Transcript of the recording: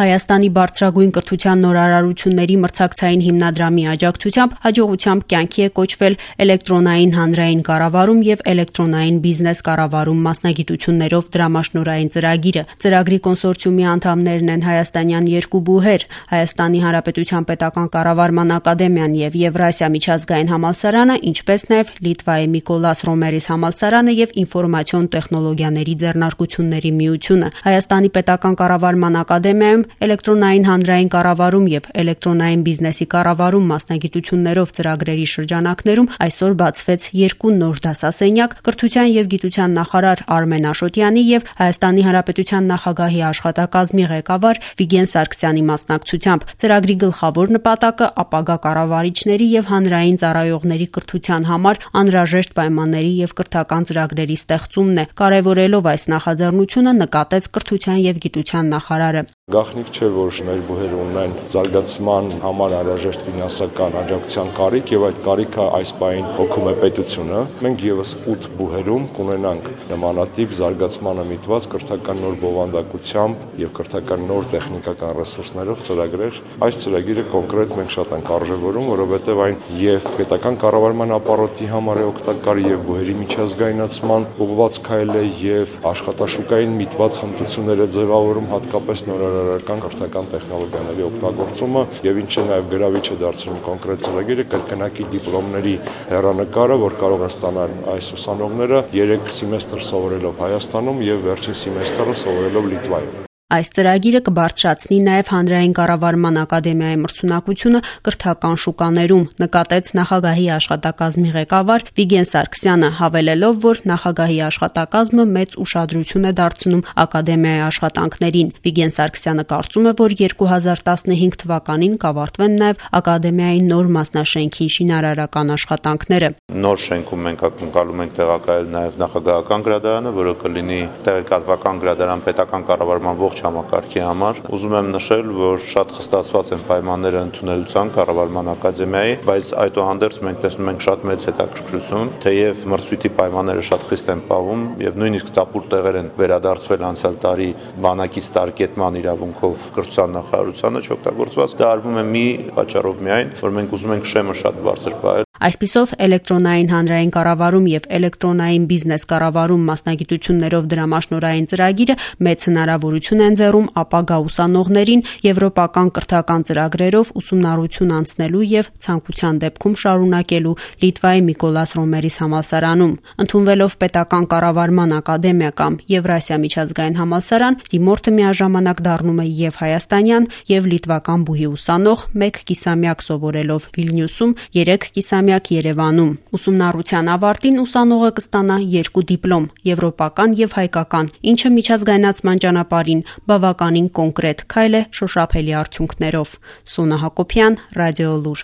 Հայաստանի բարձրագույն կրթության նորարարությունների մրցակցային հիմնադրամի աջակցությամբ հաջողությամբ կյանքի է կոչվել էլեկտրոնային հանրային կառավարում եւ էլեկտրոնային բիզնես կառավարում մասնագիտություններով դրամաշնորհային ծրագիրը։ Ծրագրի կոնսորցիումի անդամներն են հայաստանյան երկու բուհեր՝ Հայաստանի Հանրապետության պետական կառավարման ակադեմիան եւ Եվրասիա միջազգային համալսարանը, ինչպես նաեւ Լիտվայի Միկոլաս Ռոմերիս համալսարանը եւ ինֆորմացիոն տեխնոլոգիաների ձեռնարկությունների միությունը։ Հայաստանի պետական կառավարման ակադեմիայում էլեկտրոնային հանրային կառավարում եւ էլեկտրոնային բիզնեսի կառավարում մասնագիտություններով ծրագրերի շրջանակներում այսօր բացվեց երկու նոր դասասենյակ կրթության եւ գիտության նախարար Արմեն Աշոտյանի եւ Հայաստանի Հանրապետության նախագահի աշխատակազմի ղեկավար Վիգեն Սարգսյանի մասնակցությամբ։ Ծրագրի գլխավոր նպատակը ապագա կառավարիչների եւ հանրային ծառայողների կրթության համար անհրաժեշտ պայմանների եւ կրթական ծրագրերի ստեղծումն է։ Կարևորելով այս նախաձեռնությունը նկատեց կրթության եւ գիտության նախարարը։ Գաղտնիք չէ, որ մեր բուհերը ունեն զարգացման համար անհրաժեշտ ֆինանսական աջակցության կարիք եւ այդ կարիքը այս պահին հոգում է պետությունը։ Մենք եւս 8 բուհերում կունենանք նմանատիպ զարգացմանը միտված կրթական նոր բովանդակությամբ եւ կրթական նոր տեխնիկական ռեսուրսներով ծրագրեր։ Այս ծրագիրը կոնկրետ մենք շատ ենք արժևորում, որովհետեւ այն եւ պետական կառավարման ապարոտի համար է օգտակար եւ բուհերի միջազգայնացման ուղղված քայլ է եւ աշխատաշուկային միտված հմտությունները ձևավորում հատկապես նորարարական կրթական տեխնոլոգիաների օգտագործումը եւ ինչը նաեւ գրավիչ է դարձնում կոնկրետ ծրագիրը կրկնակի դիպլոմների հեռանկարը, որ կարող են ստանալ այս ուսանողները 3 սեմեստր սովորելով Հայաստանում եւ վերջին սեմեստրը սովորելով Լիտվայում։ Այս ծրագիրը կբարձրացնի նաև հանրային կառավարման ակադեմիայի մրցունակությունը կրթական շուկաներում, նկատեց նախագահի աշխատակազմի ղեկավար Վիգեն Սարգսյանը, հավելելով, որ նախագահի աշխատակազմը մեծ ուշադրություն է դարձնում ակադեմիայի աշխատանքներին։ Վիգեն Սարգսյանը կարծում է, որ 2015 թվականին կավարտվեն նաև ակադեմիայի նոր մասնաշենքի շինարարական աշխատանքները։ Նոր շենքում մենք ակնկալում ենք տեղակայել նաև նախագահական գրադարանը, որը կլինի տեղեկատվական գրադարան պետական կառավարման ողջ համակարգի համար։ Ուզում եմ նշել, որ շատ խստացված են պայմանները ընդունելության կառավարման ակադեմիայի, բայց այդուհանդերձ մենք տեսնում ենք շատ մեծ հետաքրքրություն, թեև մրցույթի պայմանները շատ խիստ են պահում եւ նույնիսկ տապուր տեղեր են վերադարձվել անցյալ տարի բանակից տարկետման իրավունքով կրթության նախարարությանը չօգտագործված։ Դա արվում է մի պատճառով միայն, որ մենք ուզում ենք շեմը շատ բարձր պահել։ Այսպիսով էլեկտրոնային հանրային կառավարում եւ էլեկտրոնային բիզնես կառավարում մասնագիտություններով դրամաշնորհային ծրագիրը մեծ հնարավորություն է ընձեռում ապագա ուսանողներին եվրոպական կրթական ծրագրերով ուսումնառություն անցնելու եւ ցանկության դեպքում շարունակելու Լիտվայի Միկոլաս Ռոմերիս համալսարանում։ Ընդունվելով պետական կառավարման ակադեմիա կամ Եվրասիա միջազգային համալսարան, դիմորդը միաժամանակ դառնում է եւ հայաստանյան եւ լիտվական բուհի ուսանող, 1 կիսամյակ սովորելով Վիլնյուսում, 3 կիսամյակ Երևանում։ Ուսումնառության ավարտին ուսանողը կստանա 2 դիպլոմ՝ եվրոպական եւ հայկական, ինչը միջազգայնացման ճանապարհին բավականին կոնկրետ քայլ է շոշափելի արդյունքներով։ Սոնա Հակոբյան, Ռադիոլուր։